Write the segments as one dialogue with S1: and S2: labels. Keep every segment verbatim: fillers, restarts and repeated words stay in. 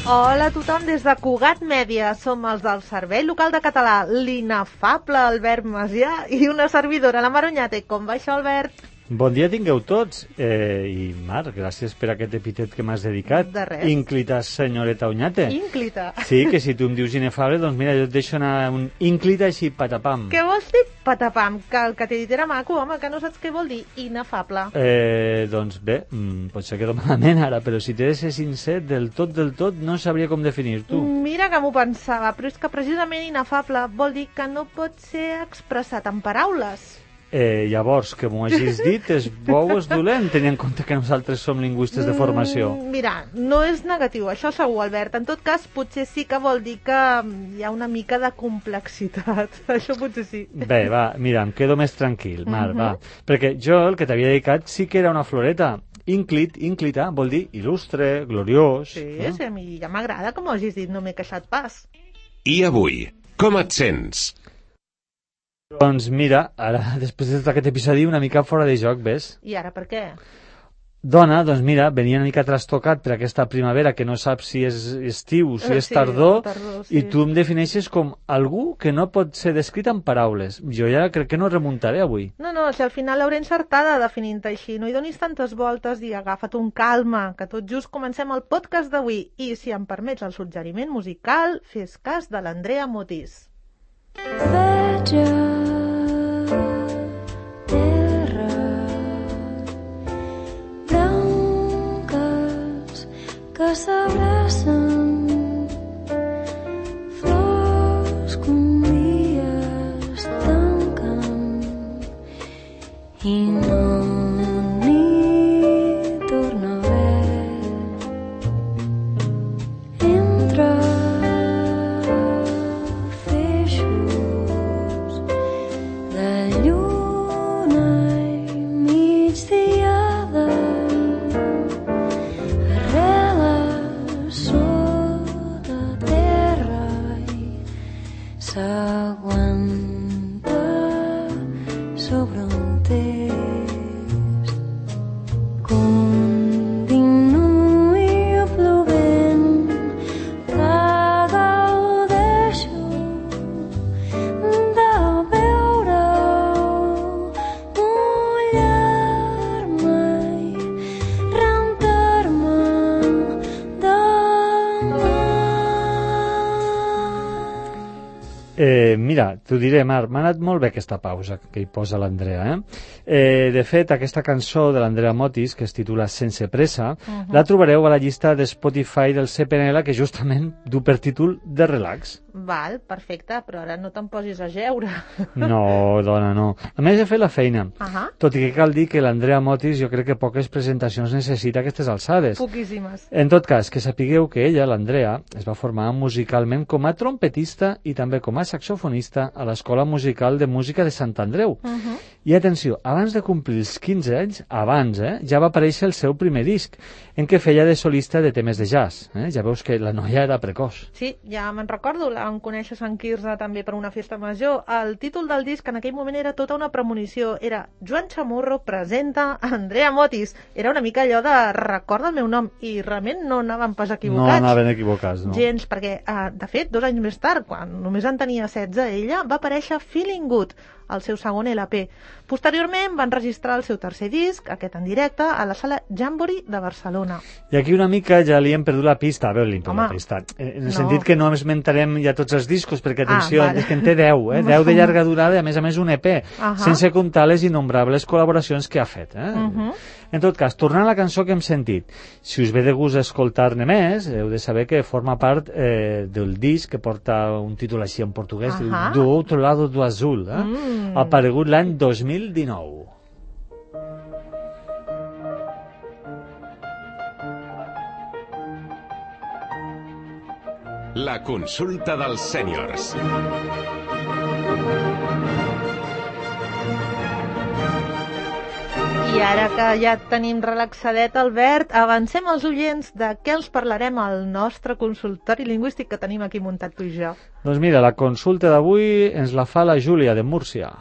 S1: Hola a tothom des de Cugat Mèdia. Som els del Servei Local de Català, l'inefable Albert Macià i una servidora, la Marunyate. Com va això, Albert?
S2: Bon dia tingueu tots. Eh, I Marc, gràcies per aquest epítet que m'has dedicat.
S1: De res.
S2: Ínclita senyoreta Oñate.
S1: Ínclita.
S2: Sí, que si tu em dius inefable, doncs mira, jo et deixo anar un ínclita així patapam.
S1: Què vols dir patapam? Que el que t'he dit era maco, home, que no saps què vol dir inefable.
S2: Eh, doncs bé, mm, potser quedo malament ara, però si t'he de ser sincer, del tot, del tot, no sabria com definir tu.
S1: Mira que m'ho pensava, però és que precisament inefable vol dir que no pot ser expressat en paraules.
S2: Eh, llavors, que m'ho hagis dit, és bo o és dolent, tenint en compte que nosaltres som lingüistes de formació?
S1: Mm, mira, no és negatiu, això segur, Albert. En tot cas, potser sí que vol dir que hi ha una mica de complexitat. Això potser sí.
S2: Bé, va, mira, em quedo més tranquil, Marc,
S1: Mhm.
S2: va. Perquè jo, el que t'havia dedicat, sí que era una floreta. Ínclit, ínclita, vol dir il·lustre, gloriós.
S1: Sí,
S2: eh?
S1: sí, a mi ja m'agrada, com ho hagis dit, no m'he queixat pas.
S3: I avui, com et sents?
S2: Doncs mira, ara, després de tot aquest episodi, una mica fora de joc, ves?
S1: I ara per què?
S2: Dona, doncs mira, venia una mica trastocat per aquesta primavera que no saps si és estiu, si és
S1: Sí,
S2: tardor,
S1: tardor, sí.
S2: i tu em defineixes com algú que no pot ser descrit en paraules. Jo ja crec que no remuntaré avui.
S1: No, no, si al final l'hauré encertada definint-te així. No hi donis tantes voltes i agafa't un calma, que tot just comencem el podcast d'avui. I si em permets el suggeriment musical, fes cas de l'Andrea Motis.
S4: Bella terra branques que s'abracen, flors que un dia es tanquen i no n'hi torna a haver. Entre feixos de lluna i migdiada, arrela sota terra i s'aguanta sobre un text. Continuï plovent, que gaudeixo de veure-ho mullar-me i rentar-me de mar.
S2: Eh, mira, t'ho diré, Marc, m'ha anat molt bé aquesta pausa que hi posa l'Andrea, eh? eh? De fet, aquesta cançó de l'Andrea Motis, que es titula Sense pressa, uh -huh. la trobareu a la llista de Spotify del C P N L, que justament du per títol de relax.
S1: Val, perfecte, però ara no te'n posis a jeure.
S2: No, dona, no. A més, he fet la feina.
S1: Ahà.
S2: Tot i que cal dir que l'Andrea Motis jo crec que poques presentacions necessita a aquestes alçades.
S1: Poquíssimes.
S2: En tot cas, que sapigueu que ella, l'Andrea, es va formar musicalment com a trompetista i també com a saxofonista a l'Escola Musical de Música de Sant Andreu.
S1: Uh -huh.
S2: I atenció, abans de complir els quinze anys, abans, eh, ja va aparèixer el seu primer disc, en què feia de solista de temes de jazz. Eh? Ja veus que la noia era precoç.
S1: Sí, ja me'n recordo, la vam conèixer a Sant Quirze també per una festa major. El títol del disc en aquell moment era tota una premonició. Era Joan Chamorro presenta Andrea Motis. Era una mica allò de recorda el meu nom, i realment no anàvem pas equivocats.
S2: No anaven equivocats, no.
S1: Gens, perquè, eh, de fet, dos anys més tard, quan només en tenia setze, ella va aparèixer Feeling Good, el seu segon L P. Posteriorment van registrar el seu tercer disc, aquest en directe, a la sala Jamboree de Barcelona.
S2: I aquí una mica ja li hem perdut la pista, a veure, li hem perdut
S1: Home,
S2: la pista, en el
S1: no.
S2: sentit que no esmentarem ja tots els discos, perquè atenció,
S1: Ah, vale.
S2: és que en té deu, eh? deu de llarga durada i a més a més un E P,
S1: Ahà.
S2: sense comptar les innombrables col·laboracions que ha fet. Eh?
S1: Uh -huh.
S2: En tot cas, tornant a la cançó que hem sentit, si us ve de gust escoltar-ne més, heu de saber que forma part eh, del disc que porta un títol així en portuguès,
S1: Ahà.
S2: Do Outro Lado do Azul, eh?
S1: Mm.
S2: aparegut l'any dos mil dinou.
S3: La consulta dels sèniors.
S1: I ara que ja tenim relaxadet, Albert, avancem als oients de què els parlarem al nostre consultori lingüístic que tenim aquí muntat tu i jo.
S2: Doncs mira, la consulta d'avui ens la fa la Júlia de Múrcia.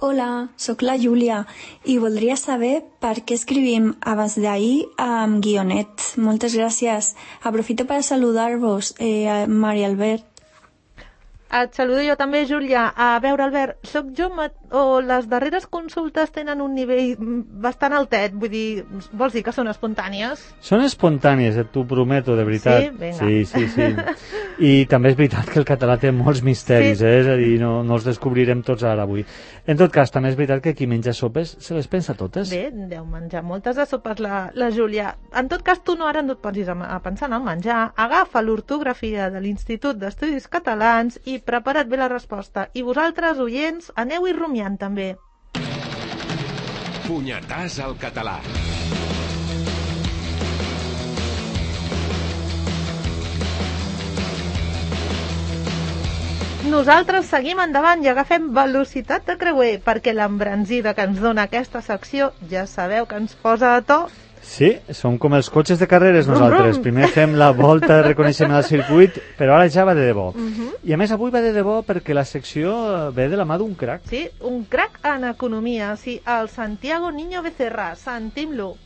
S5: Hola, sóc la Júlia i voldria saber per què escrivim abans d'ahir amb guionet. Moltes gràcies. Aprofito per saludar-vos, eh, Maria Albert.
S1: Et saludo jo també, Júlia. A veure, Albert, soc jo o les darreres consultes tenen un nivell bastant altet? Vull dir, vols dir que són espontànies?
S2: Són espontànies, et t'ho prometo, de veritat.
S1: Sí? Vinga.
S2: Sí, sí, sí. I també és veritat que el català té molts misteris,
S1: Sí.
S2: eh? És a dir, no, no els descobrirem tots ara avui. En tot cas, també és veritat que qui menja sopes se les pensa totes.
S1: Bé, deu menjar moltes de sopes la, la Júlia. En tot cas, tu no ara no et posis a, a pensar en el menjar. Agafa l'ortografia de l'Institut d'Estudis Catalans i prepara't bé la resposta. I vosaltres, oients, aneu-hi rumiant també.
S3: Punyetàs al català.
S1: Nosaltres seguim endavant i agafem velocitat de creuer, perquè l'embranzida que ens dona aquesta secció ja sabeu que ens posa a to.
S2: Sí, som com els cotxes de carreres nosaltres.
S1: Brum, brum.
S2: Primer fem la volta de reconeixement al circuit, però ara ja va de debò.
S1: Uh -huh.
S2: I a més avui va de debò perquè la secció ve de la mà d'un crac.
S1: Sí, un crac en economia, sí, el Santiago Niño Becerra. Sentim-lo.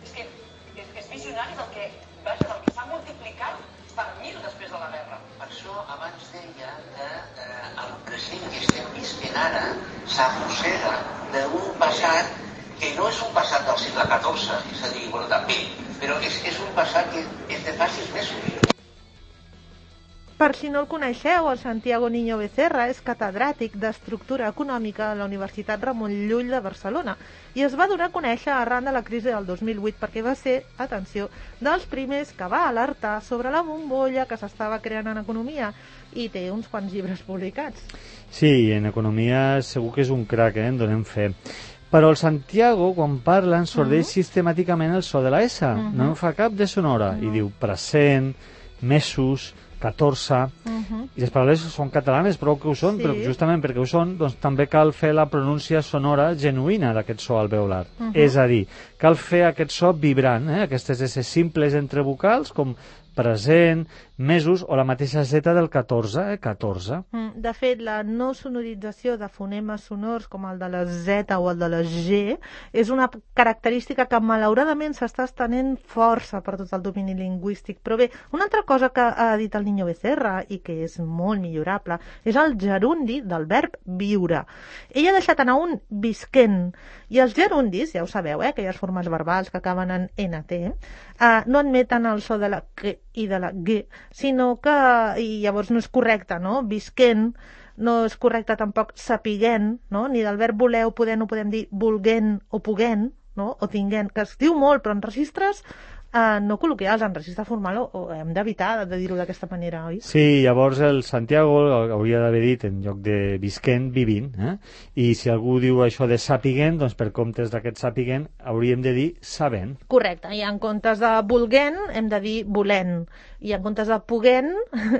S6: És que és, és visionari del que, vaja, del que s'ha multiplicat per mil després de la guerra.
S7: Per això abans deia que eh, el present que estem visquent ara s'arrossega d'un passat que no és un passat del segle catorze, és a dir, bueno, també, però és, és un passat que és de fa sis mesos.
S1: Per si no el coneixeu, el Santiago Niño Becerra és catedràtic d'Estructura Econòmica a la Universitat Ramon Llull de Barcelona i es va donar a conèixer arran de la crisi del dos mil vuit perquè va ser, atenció, dels primers que va alertar sobre la bombolla que s'estava creant en economia i té uns quants llibres publicats.
S2: Sí, en economia segur que és un crac, eh? En donem fe. Però el Santiago, quan parla, ensordeix uh -huh. sistemàticament el so de la S. Uh -huh. No en fa cap de sonora. Uh -huh. I diu present, mesos, catorze... Uh -huh. I les paraules són catalanes, prou que ho són, sí. Però justament perquè ho són, doncs també cal fer la pronúncia sonora genuïna d'aquest so alveolar. Uh -huh. És a dir, cal fer aquest so vibrant, eh? Aquestes S simples entre vocals, com present, mesos o la mateixa Z del catorze, eh? catorze.
S1: De fet, la no sonorització de fonemes sonors com el de la Z o el de la G és una característica que malauradament s'està estenent força per tot el domini lingüístic. Però bé, una altra cosa que ha dit el Niño Becerra i que és molt millorable és el gerundi del verb viure. Ell ha deixat anar un visquent i els gerundis, ja ho sabeu, eh? Aquelles formes verbals que acaben en N T, eh, no admeten el so de la Q i de la G, sinó que, i llavors no és correcte, no? Visquent, no és correcte tampoc sapiguent, no? Ni del verb voler o poder no podem dir volguent o puguent, no? O tinguent, que es diu molt, però en registres eh, no col·loquials, en registre formal o, o hem d'evitar de dir-ho d'aquesta manera, oi?
S2: Sí, llavors el Santiago hauria d'haver dit en lloc de visquent, vivint, eh? I si algú diu això de sapiguent, doncs per comptes d'aquest sapiguent hauríem de dir sabent.
S1: Correcte, i en comptes de volguent hem de dir volent, i en comptes de puguent,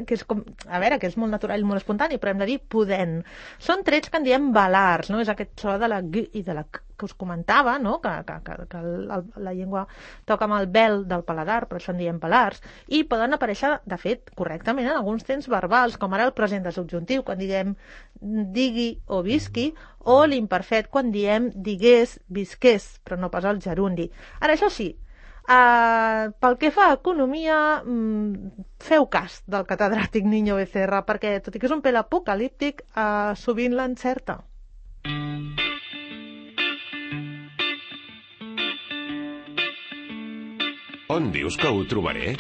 S1: que és com, a veure, que és molt natural i molt espontani, però hem de dir podent. Són trets que en diem velars, no? És aquest so de la G i de la K que us comentava, no? Que, que, que, que el, la llengua toca amb el vel del paladar, per això en diem velars, i poden aparèixer, de fet, correctament en alguns temps verbals, com ara el present de subjuntiu, quan diguem digui o visqui, o l'imperfet quan diem digués, visqués, però no pas el gerundi. Ara, això sí, Uh, pel que fa a economia, mm, feu cas del catedràtic Niño Becerra, perquè tot i que és un pèl apocalíptic, uh, sovint l'encerta.
S3: On dius que ho trobaré?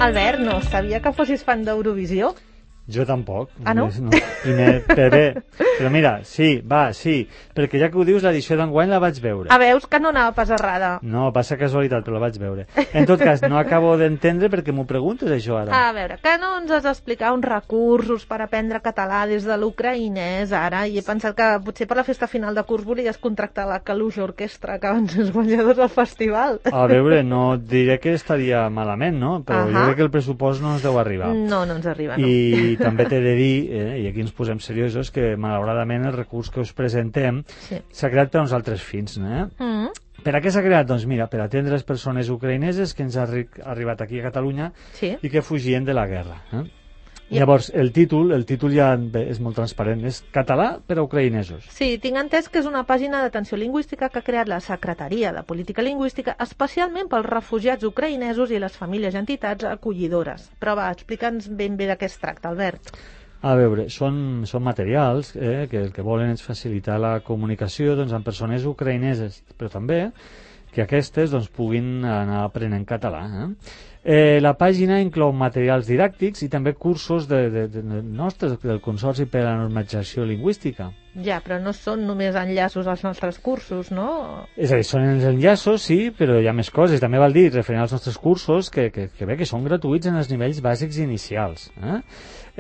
S1: Albert, no sabia que fossis fan d'Eurovisió?
S2: Jo tampoc.
S1: Ah, no?
S2: no primer, però bé, però mira, sí, va, sí, perquè ja que ho dius, l'edició d'enguany la vaig veure.
S1: Ah, veus que no anava pas errada.
S2: No, passa casualitat, però la vaig veure. En tot cas, no acabo d'entendre perquè m'ho preguntes, això, ara.
S1: A veure, que no ens has d'explicar uns recursos per aprendre català des de l'ucraïnès, ara, i he pensat que potser per la festa final de curs volies contractar la Caluja Orquestra, que van ser els guanyadors del festival.
S2: A veure, no diré que estaria malament, no? Però
S1: uh-huh.
S2: jo crec que el pressupost no ens deu arribar.
S1: No, no ens arriba, no.
S2: I també t'he de dir, eh, i aquí ens posem seriosos, que malauradament el recurs que us presentem s'ha sí. creat per uns altres fins, no? Eh? Mm. Per a què s'ha creat? Doncs mira, per atendre les persones ucraïneses que ens han arri arribat aquí a Catalunya sí. i que fugien de la guerra. Eh? Llavors, el títol, el títol ja bé, és molt transparent, és català per a ucraïnesos.
S1: Sí, tinc entès que és una pàgina d'atenció lingüística que ha creat la Secretaria de Política Lingüística especialment pels refugiats ucraïnesos i les famílies i entitats acollidores. Però va, explica'ns ben bé de què es tracta, Albert.
S2: A veure, són, són materials eh, que el que volen és facilitar la comunicació doncs, amb persones ucraïneses, però també que aquestes doncs, puguin anar aprenent català. Eh? Eh, la pàgina inclou materials didàctics i també cursos de, de, de, de nostres, del Consorci per a la Normalització Lingüística.
S1: Ja, però no són només enllaços als nostres cursos, no?
S2: És a dir, són els enllaços, sí, però hi ha més coses. També val dir, referent als nostres cursos, que, que, que bé, que són gratuïts en els nivells bàsics i inicials. Eh?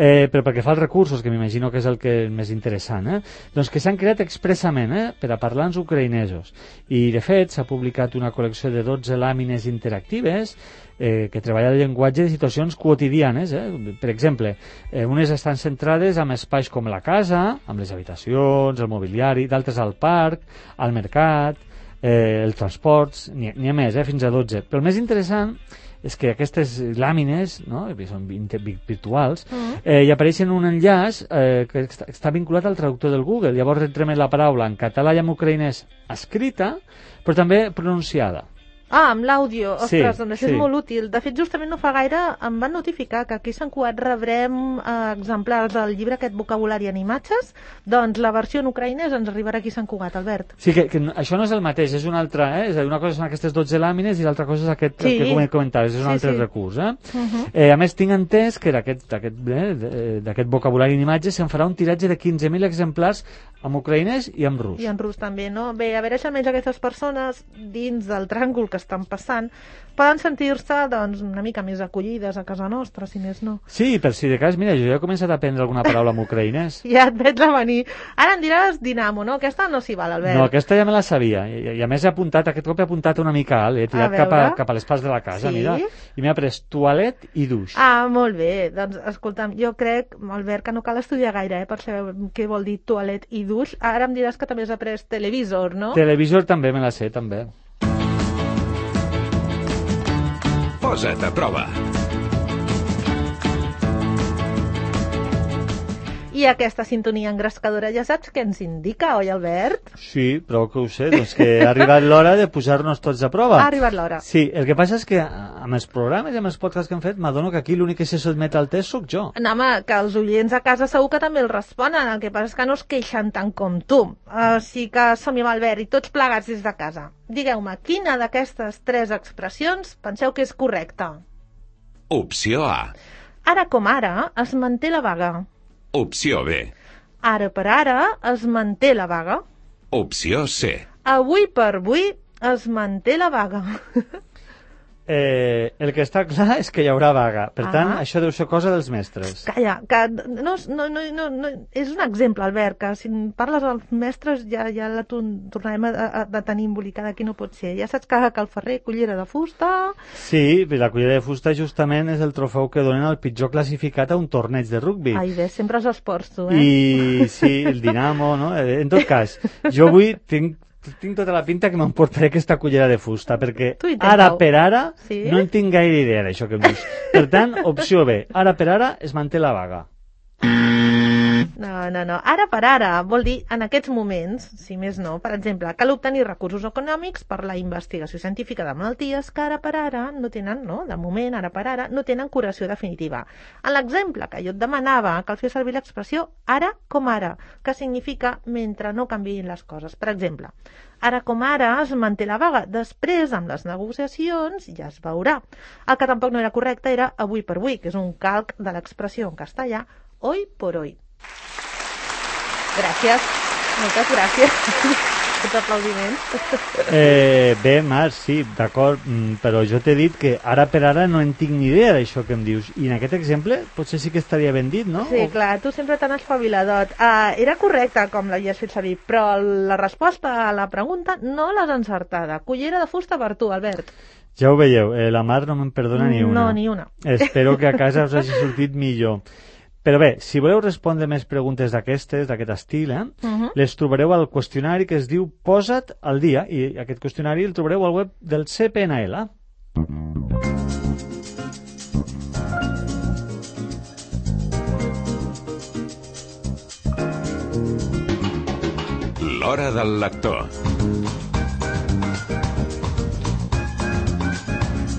S2: Eh, però perquè fa els recursos, que m'imagino que és el que és més interessant, eh? doncs que s'han creat expressament eh, per a parlants ucraïnesos. I, de fet, s'ha publicat una col·lecció de dotze làmines interactives eh, que treballa el llenguatge de situacions quotidianes. Eh? Per exemple, eh, unes estan centrades en espais com la casa, amb les habitacions, el mobiliari, d'altres al parc, al mercat, eh, els transports, n'hi ha més, eh, fins a dotze. Però el més interessant és que aquestes làmines, no?, que són virtuals, uh-huh. eh, hi apareixen un enllaç eh, que està, està vinculat al traductor del Google. Llavors retrem la paraula en català i en ucraïnès escrita, però també pronunciada.
S1: Ah, amb l'àudio.
S2: Sí,
S1: Ostres, doncs això
S2: sí.
S1: és molt útil. De fet, justament no fa gaire em van notificar que aquí a Sant Cugat rebrem eh, exemplars del llibre aquest Vocabulari en imatges. Doncs la versió en ucraïnès ens arribarà aquí a Sant Cugat, Albert.
S2: Sí, que, que això no és el mateix, és una altra, eh? És a dir, una cosa són aquestes dotze làmines i l'altra cosa és aquest
S1: Sí.
S2: que com comentaves, és un
S1: Sí,
S2: altre
S1: sí.
S2: recurs. Eh?
S1: Uh-huh.
S2: Eh, a més, tinc entès que d'aquest d'aquest, eh, d'aquest vocabulari en imatges se'n farà un tiratge de quinze mil exemplars en ucraïnès i en rus.
S1: I en rus també, no? Bé, a veure si almenys aquestes persones, dins del tràngol que estan passant, poden sentir-se, doncs, una mica més acollides a casa nostra, si més no.
S2: Sí, per si de cas, mira, jo ja he començat a aprendre alguna paraula en ucraïnès.
S1: Ja et veig a venir. Ara em diràs Dinamo, no? Aquesta no s'hi val, Albert.
S2: No, aquesta ja me la sabia. I, i a més he apuntat, aquest cop he apuntat una mica alt, he tirat
S1: A
S2: cap a,
S1: veure.
S2: cap a les parts de la casa,
S1: Sí?
S2: mira, i m'he après toilet i duix.
S1: Ah, molt bé. Doncs, escolta'm, jo crec, Albert, que no cal estudiar gaire, eh, per saber què vol dir toilet i duix. Ara em diràs que també has après televisor, no?
S2: Televisor també me la sé, també.
S3: Posa't a prova.
S1: I aquesta sintonia engrescadora ja saps què ens indica, oi, Albert?
S2: Sí, prou que ho sé, doncs que ha arribat l'hora de posar-nos tots a prova.
S1: Ha arribat l'hora.
S2: Sí, el que passa és que amb els programes i amb els podcasts que hem fet m'adono que aquí l'únic que se sotmet al test sóc jo.
S1: No, home, que els oients a casa segur que també el responen, el que passa és que no es queixen tant com tu. Així que som-hi amb Albert i tots plegats des de casa. Digueu-me, quina d'aquestes tres expressions penseu que és correcta?
S3: Opció A.
S1: Ara com ara es manté la vaga.
S3: Opció B.
S1: Ara per ara es manté la vaga.
S3: Opció C.
S1: Avui per avui es manté la vaga.
S2: Eh, el que està clar és que hi haurà vaga. Per
S1: Ah.
S2: tant, això deu ser cosa dels mestres.
S1: Calla, que no, no, no, no, no, és un exemple, Albert, que si parles als mestres ja, ja la ton- tornarem a, a, a tenir embolicada, aquí no pot ser. Ja saps que, que el ferrer cullera de fusta...
S2: Sí, la cullera de fusta justament és el trofeu que donen al pitjor classificat a un torneig de rugbi.
S1: Ai, bé, sempre els esports, tu, eh?
S2: I sí, el Dinamo, no? En tot cas, jo avui tinc, tinc tota la pinta que m'emportaré aquesta cullera de fusta, perquè
S1: Tu intenta-ho.
S2: ara per ara
S1: Sí?
S2: no en tinc gaire idea d'això que em dius. Per tant, opció B, ara per ara es manté la vaga.
S1: No, no, no. Ara per ara vol dir en aquests moments, si més no, per exemple, cal obtenir recursos econòmics per la investigació científica de malalties que ara per ara no tenen, no? De moment, ara per ara, no tenen curació definitiva. En l'exemple que jo et demanava, cal fer servir l'expressió ara com ara, que significa mentre no canviïn les coses. Per exemple, ara com ara es manté la vaga, després amb les negociacions ja es veurà. El que tampoc no era correcte era avui per avui, que és un calc de l'expressió en castellà hoy por hoy. Gràcies, moltes gràcies. Tots aplaudiments.
S2: Eh, bé, Marc, sí, d'acord, mm, però jo t'he dit que ara per ara no en tinc ni idea d'això que em dius. I en aquest exemple potser sí que estaria ben dit, no?
S1: Sí,
S2: O-
S1: clar, tu sempre tan espaviladot. Uh, era correcte com l'havies fet servir, però la resposta a la pregunta no l'has encertada. Cullera de fusta per tu, Albert.
S2: Ja ho veieu, eh, la Mar no me'n perdona ni una.
S1: No, ni una.
S2: Espero que a casa us hagi sortit millor. Però bé, si voleu respondre més preguntes d'aquestes, d'aquest estil, eh,
S1: Uh-huh.
S2: les trobareu al qüestionari que es diu Posa't al dia, i aquest qüestionari el trobareu al web del C P N L.
S3: L'hora del lector.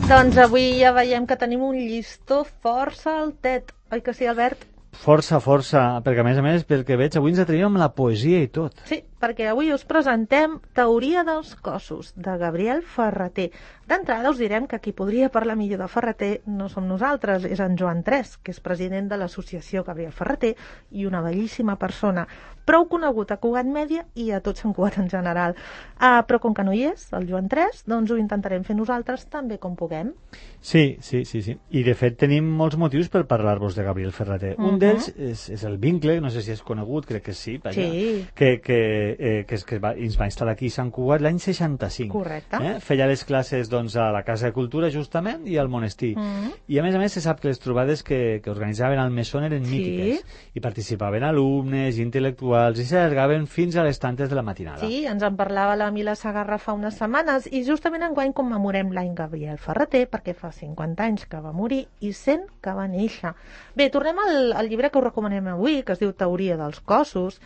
S1: Doncs avui ja veiem que tenim un llistó força altet. Oi que sí, Albert?
S2: Força, força, perquè a més a més, pel que veig, avui ens atrevíem amb la poesia i tot.
S1: Sí, perquè avui us presentem Teoria dels cossos, de Gabriel Ferrater. D'entrada us direm que qui podria parlar millor de Ferrater no som nosaltres, és en Joan Tres, que és president de l'associació Gabriel Ferrater i una bellíssima persona, prou conegut a Cugat Mèdia i a tot Sant Cugat en general. Uh, però com que no hi és, el Joan Tres, doncs ho intentarem fer nosaltres també com puguem.
S2: Sí, sí, sí, sí. I de fet tenim molts motius per parlar-vos de Gabriel Ferrater. Uh -huh. Un d'ells és, és el vincle, no sé si és conegut, crec que sí, vaja,
S1: sí.
S2: que, que, eh, que, és, que va, ens va instal·lar aquí a Sant Cugat l'any seixanta-cinc.
S1: Correcte.
S2: Eh? Feia les classes doncs, a la Casa de Cultura, justament, i al monestir. Uh -huh. I a més a més se sap que les trobades que, que organitzaven al Mesón eren
S1: sí.
S2: mítiques. I participaven alumnes, intel·lectuals, i s'allargaven fins a les tantes de la matinada.
S1: Sí, ens en parlava la Mila Sagarra fa unes setmanes, i justament enguany commemorem l'any Gabriel Ferrater, perquè fa cinquanta anys que va morir i cent que va néixer. Bé, tornem al, al llibre que us recomanem avui, que es diu Teoria dels cossos,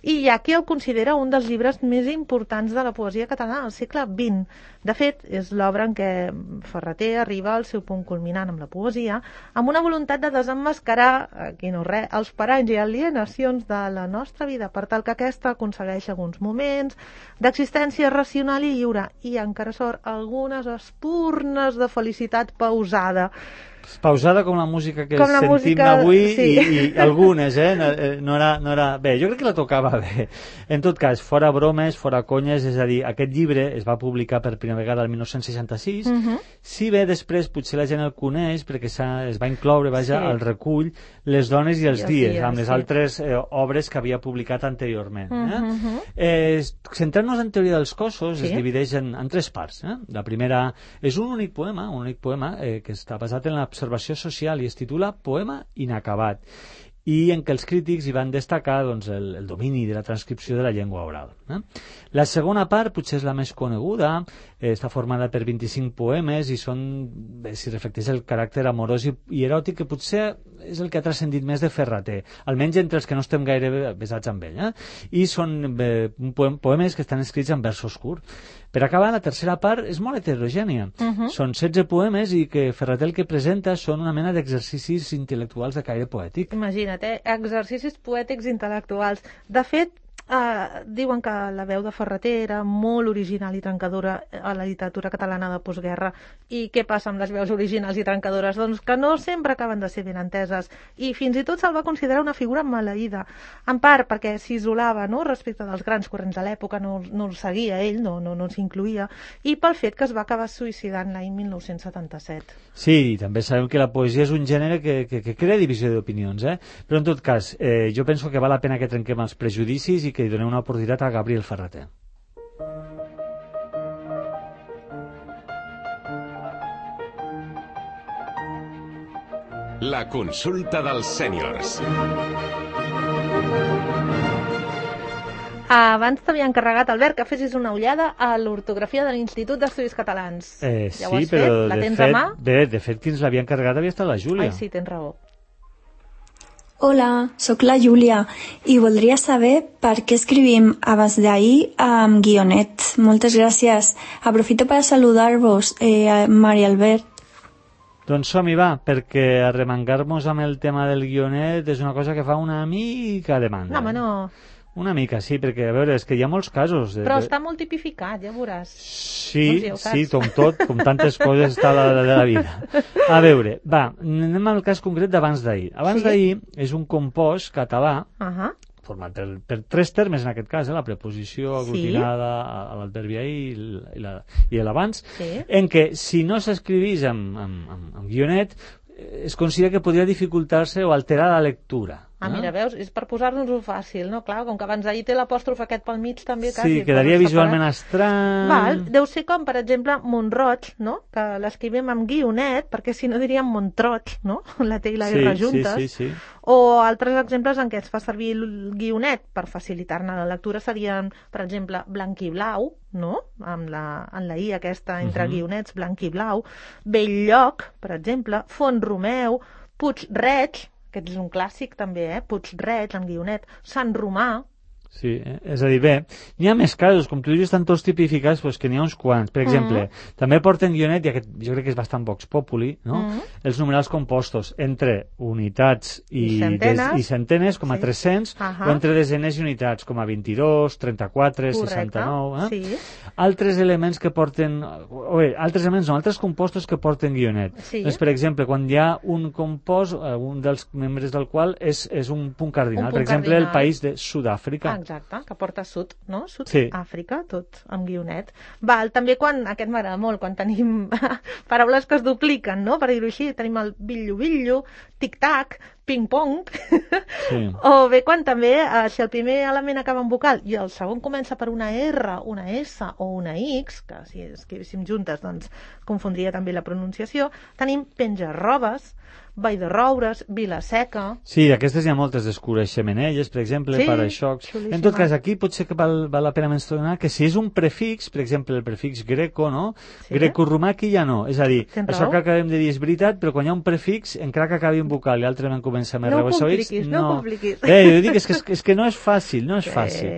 S1: i hi ha qui el considera un dels llibres més importants de la poesia catalana del segle vint. De fet, és l'obra en què Ferrater arriba al seu punt culminant amb la poesia, amb una voluntat de desemmascarar, aquí no res, els paranys i alienacions de la nostra vida, per tal que aquesta aconsegueix alguns moments d'existència racional i lliure, i encara sort algunes espurnes de felicitat pausada.
S2: Pausada com la música que
S1: com la
S2: sentim
S1: música,
S2: avui
S1: sí.
S2: i, i algunes, eh? No, no, era, no era... Bé, jo crec que la tocava bé. En tot cas, fora bromes, fora conyes, és a dir, aquest llibre es va publicar per primera vegada el dinou seixanta-sis, uh -huh. si bé després potser la gent el coneix perquè es va incloure, vaja, sí. al recull Les dones i els I dies, dies, amb les sí. altres eh, obres que havia publicat anteriorment. Eh? Uh -huh. eh, Centrant-nos en Teoria dels cossos, sí. es divideix en, en tres parts. Eh? La primera és un únic poema, un únic poema eh, que està basat en la observació social i es titula Poema inacabat, i en què els crítics hi van destacar doncs, el, el domini de la transcripció de la llengua oral. Eh? La segona part potser és la més coneguda, eh, està formada per vint-i-cinc poemes i són, bé, si reflecteix el caràcter amorós i, i eròtic que potser és el que ha transcendit més de Ferrater, almenys entre els que no estem gaire besats amb ell. Eh? I són eh, poem, poemes que estan escrits en versos curts. Per acabar, la tercera part és molt heterogènia. Uh -huh. Són setze poemes i que Ferrater el que presenta són una mena d'exercicis intel·lectuals de caire poètic.
S1: Imagina't, eh? Exercicis poètics intel·lectuals. De fet, Uh, diuen que la veu de Ferrater era molt original i trencadora a la literatura catalana de postguerra. I què passa amb les veus originals i trencadores? Doncs que no sempre acaben de ser ben enteses, i fins i tot se'l va considerar una figura maleïda, en part perquè s'isolava, no?, respecte dels grans corrents de l'època, no, no el seguia ell, no, no, no s'incluïa, i pel fet que es va acabar suïcidant l'any mil nou-cents setanta-set.
S2: Sí, i també sabem que la poesia és un gènere que, que, que crea divisió d'opinions, eh? Però en tot cas, eh, jo penso que val la pena que trenquem els prejudicis i que hi donem una oportunitat a Gabriel Ferrater.
S3: La consulta dels sèniors.
S1: Abans t'havia encarregat, Albert, que fessis una ullada a l'ortografia de l'Institut d'Estudis Catalans.
S2: Eh,
S1: ja
S2: sí,
S1: ho has
S2: però
S1: fet? La
S2: de
S1: tens
S2: fet,
S1: a mà?
S2: bé, de fet, qui ens l'havia encarregat havia estat la Júlia.
S1: Ai, sí, tens raó.
S5: Hola, sóc la Júlia i voldria saber per què escrivim abans d'ahir amb guionet. Moltes gràcies. Aprofito per saludar-vos, eh, Maria Albert.
S2: Doncs som-hi, va, perquè arremangar-nos amb el tema del guionet és una cosa que fa una mica de mandra.
S1: No, home, no.
S2: Una mica, sí, perquè, a veure, és que hi ha molts casos. De,
S1: Però
S2: de...
S1: està molt tipificat, ja veuràs.
S2: Sí,
S1: doncs ja
S2: sí, com tot, com tantes coses està la de la vida. A veure, va, anem al cas concret d'abans d'ahir. Abans
S1: sí?
S2: d'ahir és un compost català,
S1: uh -huh.
S2: format per, per tres termes, en aquest cas, eh, la preposició aglutinada sí? a, a l'adverbi ahir i, la, i l'abans,
S1: sí?
S2: en què, si no s'escrivís amb, amb, amb, amb guionet, es considera que podria dificultar-se o alterar la lectura.
S1: Ah, mira, veus? És per posar-nos-ho fàcil, no? Clar, com que abans d'ahir té l'apòstrof aquest pel mig també quasi.
S2: Sí, quedaria visualment estrany.
S1: Val, deu ser com, per exemple, Montroig, no? Que l'escrivim amb guionet, perquè si no diríem Montroig, no? La T i la R
S2: sí,
S1: juntes.
S2: Sí, sí, sí.
S1: O altres exemples en què es fa servir el guionet per facilitar-ne la lectura serien, per exemple, blanc i blau, no? Amb la, en la I aquesta entre uh -huh. guionets, blanc i blau. Belllloc, per exemple, Font-romeu, Puig-reig, aquest és un clàssic també, eh? Puig-reig, amb guionet, Sant Romà,
S2: Sí, eh? És a dir, bé, n'hi ha més casos, com tu dius, estan tots tipificats, doncs que n'hi ha uns quants. Per exemple, mm. també porten guionet, i aquest jo crec que és bastant vox populi, no? Mm. Els numerals compostos entre unitats i,
S1: I centenes,
S2: des, i centenes com a
S1: sí.
S2: tres-cents, uh -huh. o entre desenes i unitats com a vint-i-dos, trenta-quatre,
S1: correcte.
S2: seixanta-nou... Eh?
S1: Sí.
S2: Altres elements que porten... O bé, altres elements no, altres compostos que porten guionet.
S1: Sí.
S2: Doncs, per exemple, quan hi ha un compost, un dels membres del qual és, és un punt cardinal.
S1: Un punt
S2: per exemple,
S1: cardinal.
S2: el país de Sud-àfrica.
S1: Exacte, que porta sud, no?
S2: Sí.
S1: Sud-àfrica, tot amb guionet. Val, també quan, aquest m'agrada molt, quan tenim paraules que es dupliquen, no? Per dir-ho així, tenim el billo-billo, tic-tac, ping-pong,
S2: Sí.
S1: o bé quan també, eh, si el primer element acaba en vocal i el segon comença per una R, una S o una X, que si escrivíssim juntes, doncs confondria també la pronunciació, tenim penja-robes, Vall de Roures, Vila-seca...
S2: Sí, aquestes hi ha moltes, d'escures xemenelles, per exemple,
S1: Sí,
S2: para-xocs.
S1: xulíssima.
S2: En tot cas, aquí potser que val, val la pena mencionar que si és un prefix, per exemple, el prefix greco, no?
S1: Sí.
S2: Greco-romà aquí ja no. És a dir,
S1: Tens
S2: això
S1: raó.
S2: que acabem de dir és veritat, però quan hi ha un prefix, encara que acabi en vocal i l'altre en comença amb
S1: No ho
S2: R o S o X,
S1: compliquis, no ho compliquis.
S2: Bé, jo dic, és que, és, és que no és fàcil, no és
S1: Sí.
S2: fàcil.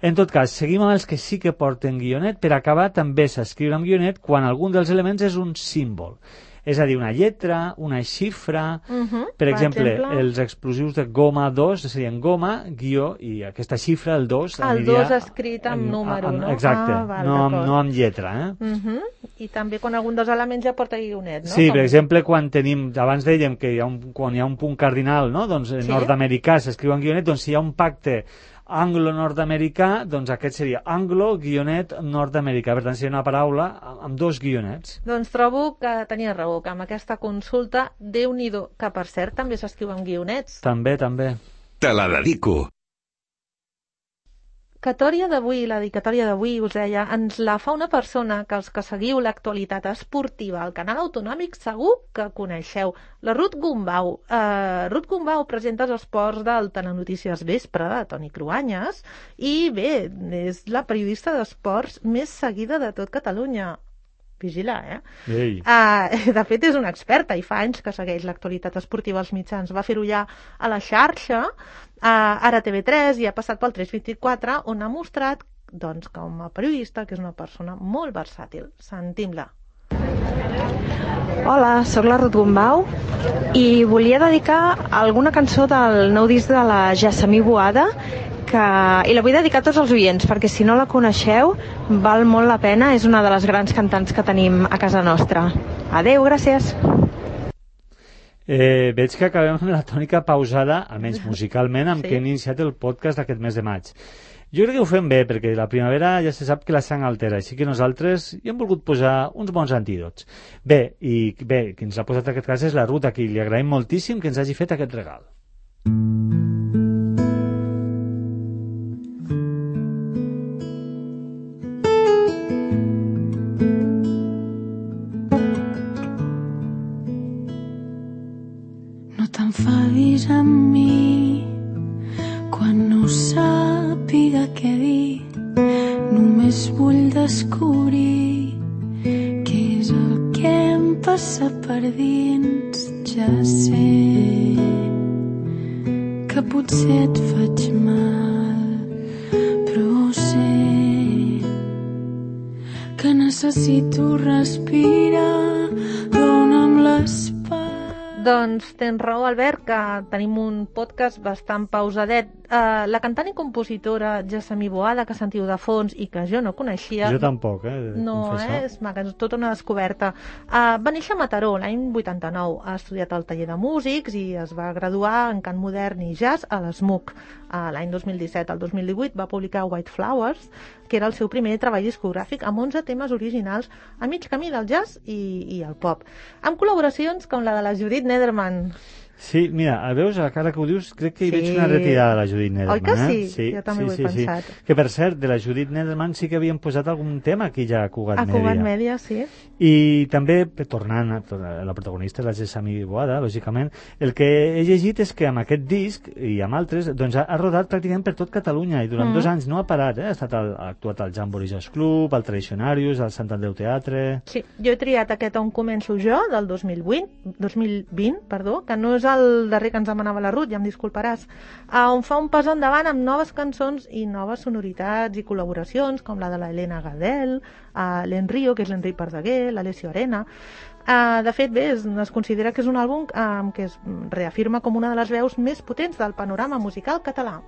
S2: En tot cas, seguim amb els que sí que porten guionet. Per acabar, també s'escriure amb guionet quan algun dels elements és un símbol. És a dir, una lletra, una xifra...
S1: Uh -huh.
S2: Per exemple,
S1: exemple,
S2: els explosius de goma dos serien goma, guió, i aquesta xifra, el dos...
S1: El
S2: aniria
S1: dos escrit amb número, no?
S2: Exacte,
S1: Ah, val,
S2: no, amb,
S1: d'acord.
S2: no amb lletra, eh?
S1: Uh -huh. I també quan algun dels elements ja porta guionet, no?
S2: Sí,
S1: Com-
S2: per exemple, quan tenim, abans dèiem que hi ha un, quan hi ha un punt cardinal, no? Doncs en
S1: Sí.
S2: nord-americà s'escriu en guionet, doncs si hi ha un pacte anglo-nord-americà, doncs aquest seria anglo-guionet-nord-americà. Per tant, seria una paraula amb, amb dos guionets.
S1: Doncs trobo que tenia raó, que amb aquesta consulta, Déu-n'hi-do, que per cert també s'escriu amb guionets.
S2: També, també.
S3: Te la dedico.
S1: Dedicatòria d'avui, la dedicatòria d'avui, us deia, ens la fa una persona que els que seguiu l'actualitat esportiva al canal autonòmic segur que coneixeu, la Ruth Gumbau. Uh, Ruth Gumbau presenta els esports del Telenotícies Vespre de Toni Cruanyes i bé, és la periodista d'esports més seguida de tot Catalunya. Vigila, eh?
S2: Ei.
S1: Uh, de fet, és una experta i fa anys que segueix l'actualitat esportiva als mitjans. Va fer-ho ja a la xarxa, uh, ara a T V tres i ha passat pel tres vint-i-quatre, on ha mostrat doncs, com a periodista que és una persona molt versàtil. Sentim-la.
S8: Hola, sóc la Ruth Gumbau i volia dedicar alguna cançó del nou disc de la Jessamí Boada que... i la vull dedicar a tots els oients perquè si no la coneixeu val molt la pena, és una de les grans cantants que tenim a casa nostra. Adeu, gràcies.
S2: Eh, veig que acabem amb la tònica pausada, almenys musicalment, amb
S1: Sí.
S2: què hem iniciat el podcast d'aquest mes de maig. Jo crec que ho fem bé, perquè la primavera ja se sap que la sang altera, així que nosaltres hi hem volgut posar uns bons antídots. Bé, i bé, qui ens l'ha posat en aquest cas és la Ruth, a qui li agraïm moltíssim que ens hagi fet aquest regal.
S4: No t'enfadis amb mi quan no sàpiga què dir. Només vull descobrir què és el que em passa per dins. Ja sé que potser et faig mal, però sé que necessito respirar. Dóna'm l'espai.
S1: Doncs tens raó, Albert, que tenim un podcast bastant pausadet. Uh, la cantant i compositora Jessamí Boada, que sentiu de fons i que jo no coneixia...
S2: Jo tampoc, eh? de
S1: No,
S2: confessar.
S1: eh? És maca, és tota una descoberta. Uh, va néixer a Mataró l'any vuitanta-nou. Ha estudiat al taller de músics i es va graduar en cant modern i jazz a l'S M U C. Uh, l'any dos mil disset al dos mil divuit va publicar White Flowers, que era el seu primer treball discogràfic amb onze temes originals a mig camí del jazz i, i el pop. Amb col·laboracions com la de la Judith Nederman.
S2: Sí, mira, veus, a cara que ho dius, crec que hi
S1: Sí.
S2: veig una retirada de la Judith Nederman.
S1: Oi que
S2: eh?
S1: sí? Jo també ho he pensat.
S2: Que, per cert, de la Judith Nederman sí que havien posat algun tema aquí ja a Cugat
S1: A
S2: Media.
S1: Cugat Media, sí.
S2: I també, tornant a la protagonista, la Jessamí Boada, lògicament, el que he llegit és que amb aquest disc i amb altres, doncs ha, ha rodat pràcticament per tot Catalunya i durant
S1: Mm.
S2: dos anys no ha parat, eh? Ha, estat al, ha actuat al Jamboree Jazz Club, al Tradicionarius, al Sant Andreu Teatre...
S1: Sí, jo he triat aquest On començo jo, del dos mil vint, dos mil vint, perdó, que no és és el darrer que ens demanava la Ruth, ja em disculparàs, uh, on fa un pas endavant amb noves cançons i noves sonoritats i col·laboracions, com la de la Helena Gadel, uh, l'Enrio, que és l'Enric Pardeguer, l'Alessio Arena. Uh, de fet, bé, es, es considera que és un àlbum uh, que es reafirma com una de les veus més potents del panorama musical català.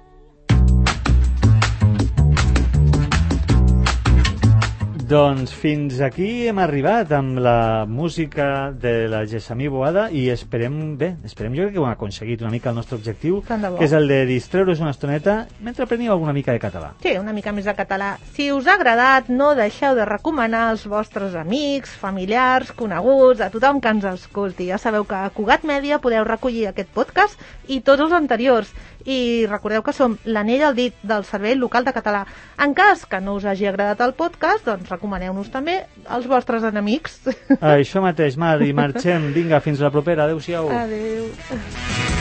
S2: Doncs fins aquí hem arribat amb la música de la Gessamí Boada i esperem, bé, esperem jo que ho hem aconseguit una mica el nostre objectiu, que és el de distreure's una estoneta mentre apreniu alguna mica de català.
S1: Sí, una mica més de català. Si us ha agradat, no deixeu de recomanar als vostres amics, familiars, coneguts, a tothom que ens escolti. Ja sabeu que a Cugat Mèdia podeu recollir aquest podcast i tots els anteriors. I recordeu que som l'anell al dit del Servei Local de Català. En cas que no us hagi agradat el podcast, doncs recomaneu-nos també als vostres enemics.
S2: Això mateix, Mar, i marxem. Vinga, fins la propera. Adéu-siau.
S1: Adéu.